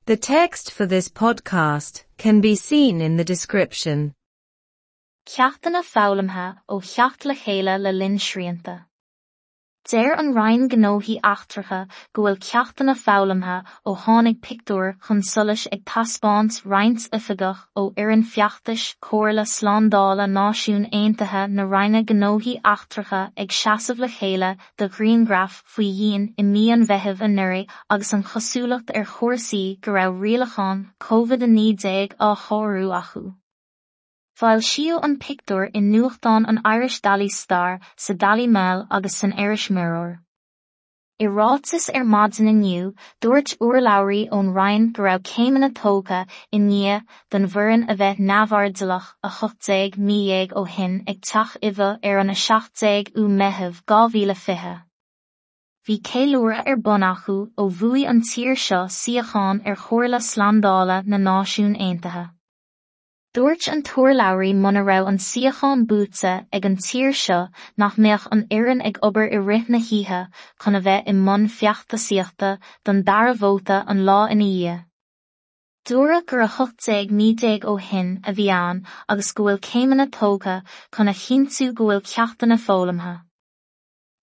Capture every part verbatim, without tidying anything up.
The text for this podcast can be seen in the description. Ceachtanna foghlamtha ó theacht le chéile le linn srianta. Deir an Roinn Gnóthaí Eachtracha go bhfuil ceachtanna foghlamtha ó tháinig pictiúr chun solais ag taispeáint roinnt oifigeach ó fhoireann feachtais Chomhairle Slándála Náisiún Aontaithe na Roinne Gnóthaí Eachtracha ag seasamh le chéile do ghrianghraf faoi dhíon i mí an Mheithimh anuraidh agus an chosúlacht ar chúrsaí go raibh rialacháin COVID a naoi déag á shárú acu. Foilsíodh an pictiúr i nuachtán an Irish Daily Star sa Daily Mail agus san Irish Mirror. I ráiteas ar maidin inniu, dúirt urlabhraí ón Roinn go raibh céimeanna tógtha i ndiaidh don bhfoireann a bheith neamhairdeallach a hocht déag mí dhéag ó shin ag Teach Iveagh ar an a seacht déag ú Meitheamh dhá mhíle fiche. Bhí ceiliúradh ar bun acu ó bhuaigh an tír seo suíochán ar Chomhairle Slándála na Náisiún Aontaithe. Dúirt an t-urlabhraí muna raibh an suíochán buaite ag an tír seo nach mbeadh an fhoireann ag obair i rith na hoíche chun a bheith i mbun feachtasaíochta don dara vóta an lá ina dhiaidh. Dúradh gur a hocht déag mí déag ó shin a bhí ann agus go bhfuil céimeanna tógtha chun a chinntiú go bhfuil ceachtanna foghlamtha.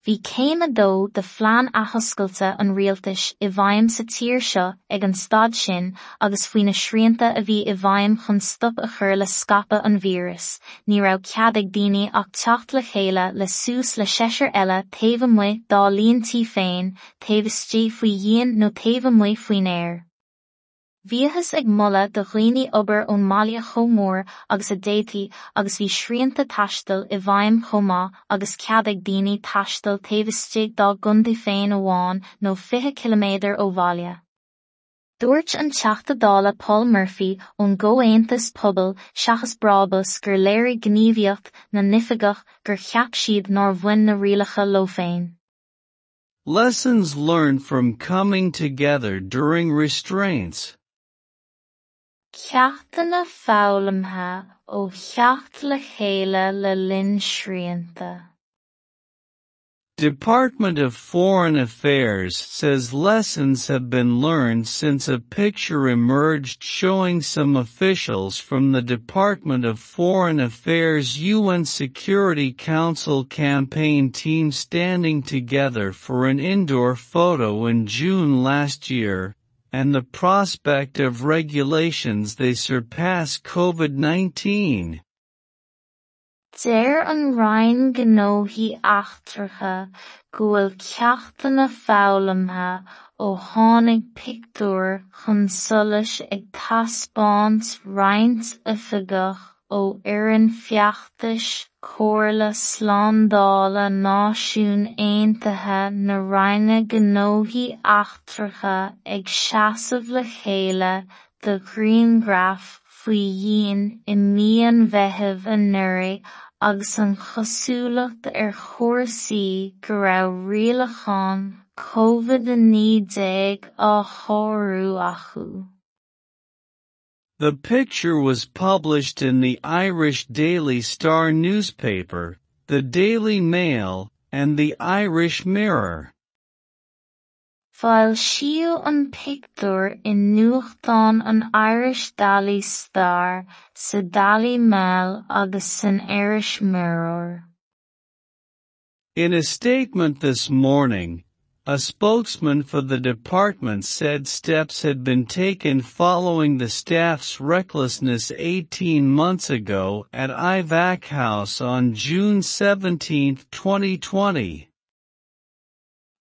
Bhí céim a dó de phlean athoscailte an rialtais i bhfeidhm sa tír seo ag an staid sin agus faoi na srianta a bhí i bhfeidhm chun stop a chur le scaipeadh an víris, ní raibh cead ag daoine ach teacht le chéile le suas le seisear eile taobh amuigh dá líon tí féin, taobh istigh faoi dhíon nó taobh amuigh faoin aer. Bhíothas ag moladh do dhaoine obair ón mbaile chomh mór agus a d'fhéadfaí agus bhí srianta taistil i bhfeidhm chomh maith agus cead ag daoine taisteal taobh istigh dá gcontae féin amháin nó fiche ciliméadar ó bhaile. Dúirt an Teachta Dála Paul Murphy ón gComhaontas Pobail seachas Brabús gur léirigh gníomhaíocht na n-oifigeach gur cheap siad nár bhain na rialacha leo féin. Lessons learned from coming together during restraints. Ceachtanna foghlamtha ó theacht le chéile le linn srianta. Department of Foreign Affairs says lessons have been learned since a picture emerged showing some officials from the Department of Foreign Affairs U N Security Council campaign team standing together for an indoor photo in June last year, and the prospect of regulations they surpass COVID nineteen. Deir an Roinn Gnóthaí Eachtracha go bhfuil ceachtanna foghlamtha ó tháinig pictiúr chun solais ag taispeáint roinnt oifigeach ó fhoireann feachtais Chomhairle Slándála Náisiún Aontaithe na Roinne Gnóthaí Eachtracha ag seasamh le chéile do ghrianghraf faoi dhíon i mí an Mheithimh anuraidh agus an chosúlacht ar chúrsaí go raibh rialacháin COVID a naoi déag á shárú acu. The picture was published in the Irish Daily Star newspaper, the Daily Mail, and the Irish Mirror. Foilsíodh an pictiúr i nuachtán an Irish Daily Star, sa Daily Mail agus san Irish Mirror. In a statement this morning, a spokesman for the department said steps had been taken following the staff's recklessness eighteen months ago at Iveagh House on June seventeenth, twenty twenty.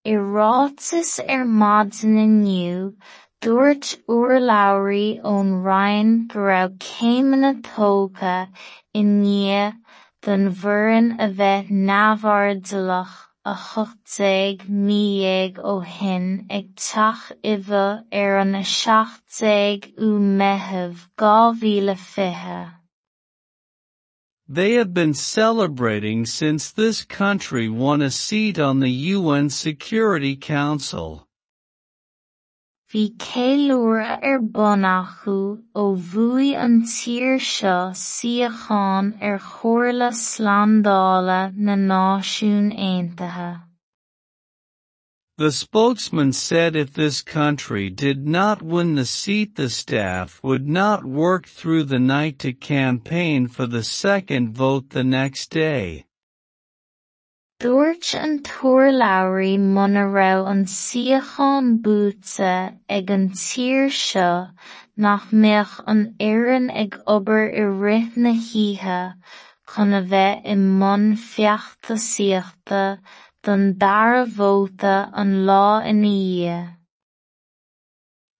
I ráiteas ar maidin inniu, dúirt urlabhraí ón Roinn go raibh céimeanna tógtha i ndiaidh don bhfoireann a bheith neamhairdeallach a hocht déag mí dhéag ó shin ag Teach Iveagh ar an a seacht déag ú Meitheamh dhá mhíle fiche. They have been celebrating since this country won a seat on the U N Security Council. Bhí ceiliúradh ar bun acu ó bhuaigh an tír seo suíochán ar Chomhairle Slándála na Náisiún Aontaithe. The spokesman said if this country did not win the seat, the staff would not work through the night to campaign for the second vote the next day. Dúirt an t-urlabhraí muna raibh an suíochán buaite ag an tír seo nach mbeadh an fhoireann ag obair i rith na hoíche chun a bheith i mbun feachtasaíochta don dara vóta an lá ina dhiaidh.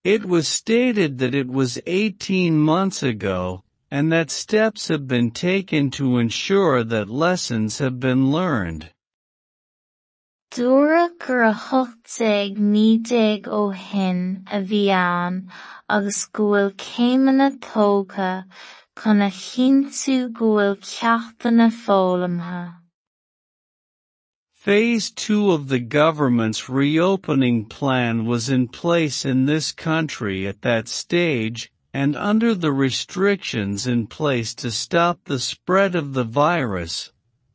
It was stated that it was eighteen months ago, and that steps have been taken to ensure that lessons have been learned. Dúradh gur a hocht déag mí déag ó shin a bhí ann agus go bhfuil céimeanna tógtha chun a chinntiú go bhfuil ceachtanna foghlamtha. Phase two of the government's reopening plan was in place in this country at that stage, and under the restrictions in place to stop the spread of the virus,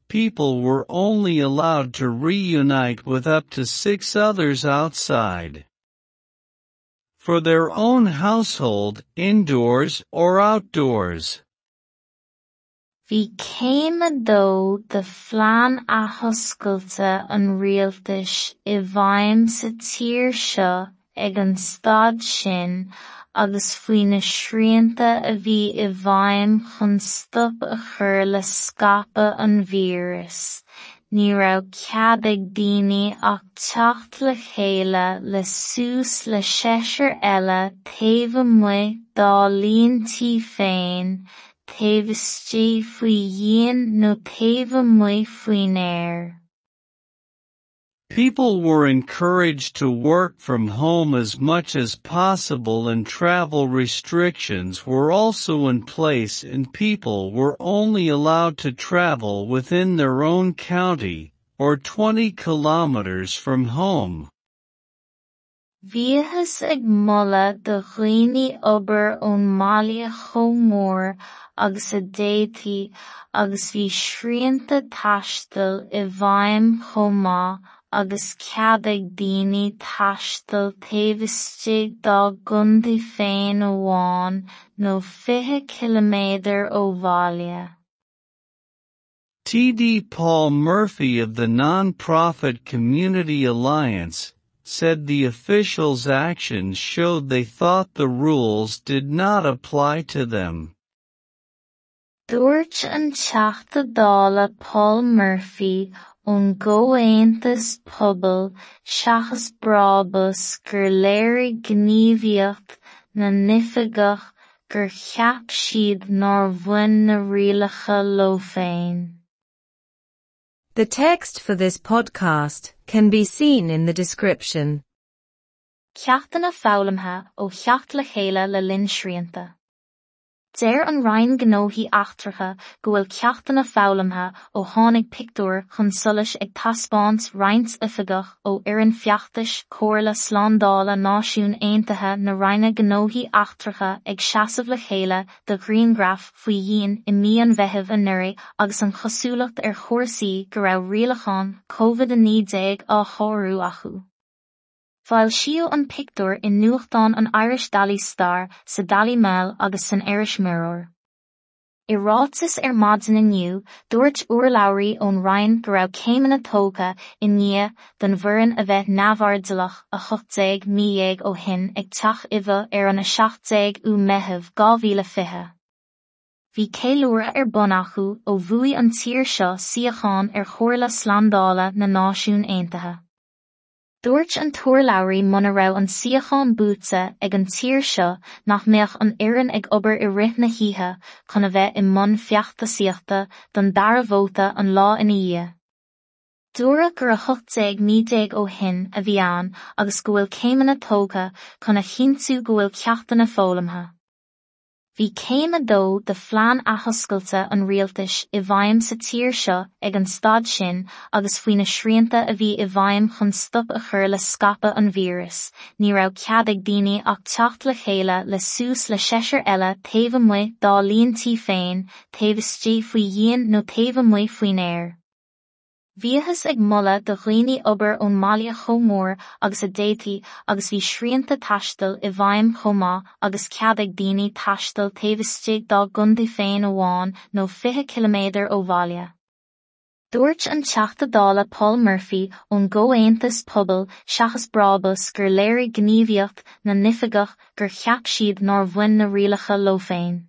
people were only allowed to reunite with up to six others outside for their own household, indoors or outdoors. Bhí céim a dó de phlean athoscailte an rialtais i bhfeidhm sa tír seo ag an staid sin agus faoi na srianta a bhí i bhfeidhm chun stop a chur le scaipeadh an víris, ní raibh cead ag daoine ach teacht le chéile le suas le seisear eile taobh amuigh dá líon tí féin, taobh istigh faoi dhíon nó taobh amuigh faoin aer. People were encouraged to work from home as much as possible, and travel restrictions were also in place, and people were only allowed to travel within their own county, or twenty kilometers from home. Bhíothas ag moladh do dhaoine obair ón mbaile chomh mór agus a d'fhéadfaí, agus bhí srianta taistil i bhfeidhm chomh maith agus cead ag daoine taisteal taobh istigh dá gcontae féin amháin nó fiche ciliméadar ó bhaile. T D Paul Murphy of the non-profit Community Alliance said the officials' actions showed they thought the rules did not apply to them. Dúirt an Teachta Dála Paul Murphy ón gComhaontas Pobail seachas Brabús gur léirigh gníomhaíocht na n-oifigeach gur cheap siad nár bhain na rialacha leo féin. The text for this podcast can be seen in the description. Ceachtanna foghlamtha ó theacht le chéile le linn srianta. Deir an Roinn Gnóthaí Eachtracha go bhfuil ceachtanna foghlamtha ó tháinig pictiúr chun solais ag taispeáint roinnt oifigeach ó fhoireann feachtais Comhairle Slándála Náisiún Aontaithe na Roinne Gnóthaí Eachtracha ag seasamh le chéile do ghrianghraf faoi dhíon i mí an Mheithimh anuraidh agus an chosúlacht ar chúrsaí go raibh rialacháin COVID a naoi déag á shárú acu. Foilsíodh an pictiúr i nuachtán an Irish Daily Star sa Daily Mail agus san Irish Mirror. I ráiteas ar maidin inniu, dúirt urlabhraí ón Roinn go raibh céimeanna tógtha i ndiaidh don bhfoireann a bheith neamhairdeallach a hocht déag mí dhéag ó shin ag Teach Iveagh ar an a seacht déag ú Meitheamh dhá mhíle fiche. Bhí ceiliúradh ar bun acu ó bhuaigh an tír seo suíochán ar Chomhairle Slándála na Náisiún Aontaithe. Dúirt an t-urlabhraí muna raibh an suíochán buaite ag an tír seo nach mbeadh an fhoireann ag obair i rith na hoíche chun a bheith i mbun feachtasaíochta don dara vóta an lá ina dhiaidh. Dúradh gur a hocht déag mí déag ó shin a bhí ann agus go bhfuil céimeanna tógtha chun a chinntiú go bhfuil ceachtanna foghlamtha. Bhí céim a dó de phlean athoscailte an rialtais i bhfeidhm sa tír seo ag an staid sin agus faoi na srianta a bhí i bhfeidhm chun stop a chur le scaipeadh an víris, ní raibh cead ag daoine ach teacht le chéile le suas le seisear eile taobh amuigh dá líon tí féin, taobh istigh faoi dhíon nó taobh amuigh faoin aer. Bhíothas ag moladh do dhaoine obair ón mbaile chomh mór agus a d'fhéadfaí agus bhí srianta taistil i bhfeidhm chomh maith agus cead ag daoine taisteal taobh istigh dá gcontae féin amháin nó fiche ciliméadar ó bhaile. Dúirt an Teachta Dála Paul Murphy ón gComhaontas Pobal seachas Brabús gur léirigh gníomhaíocht na n-oifigeach gur cheap siad nár bhain na rialacha leo féin.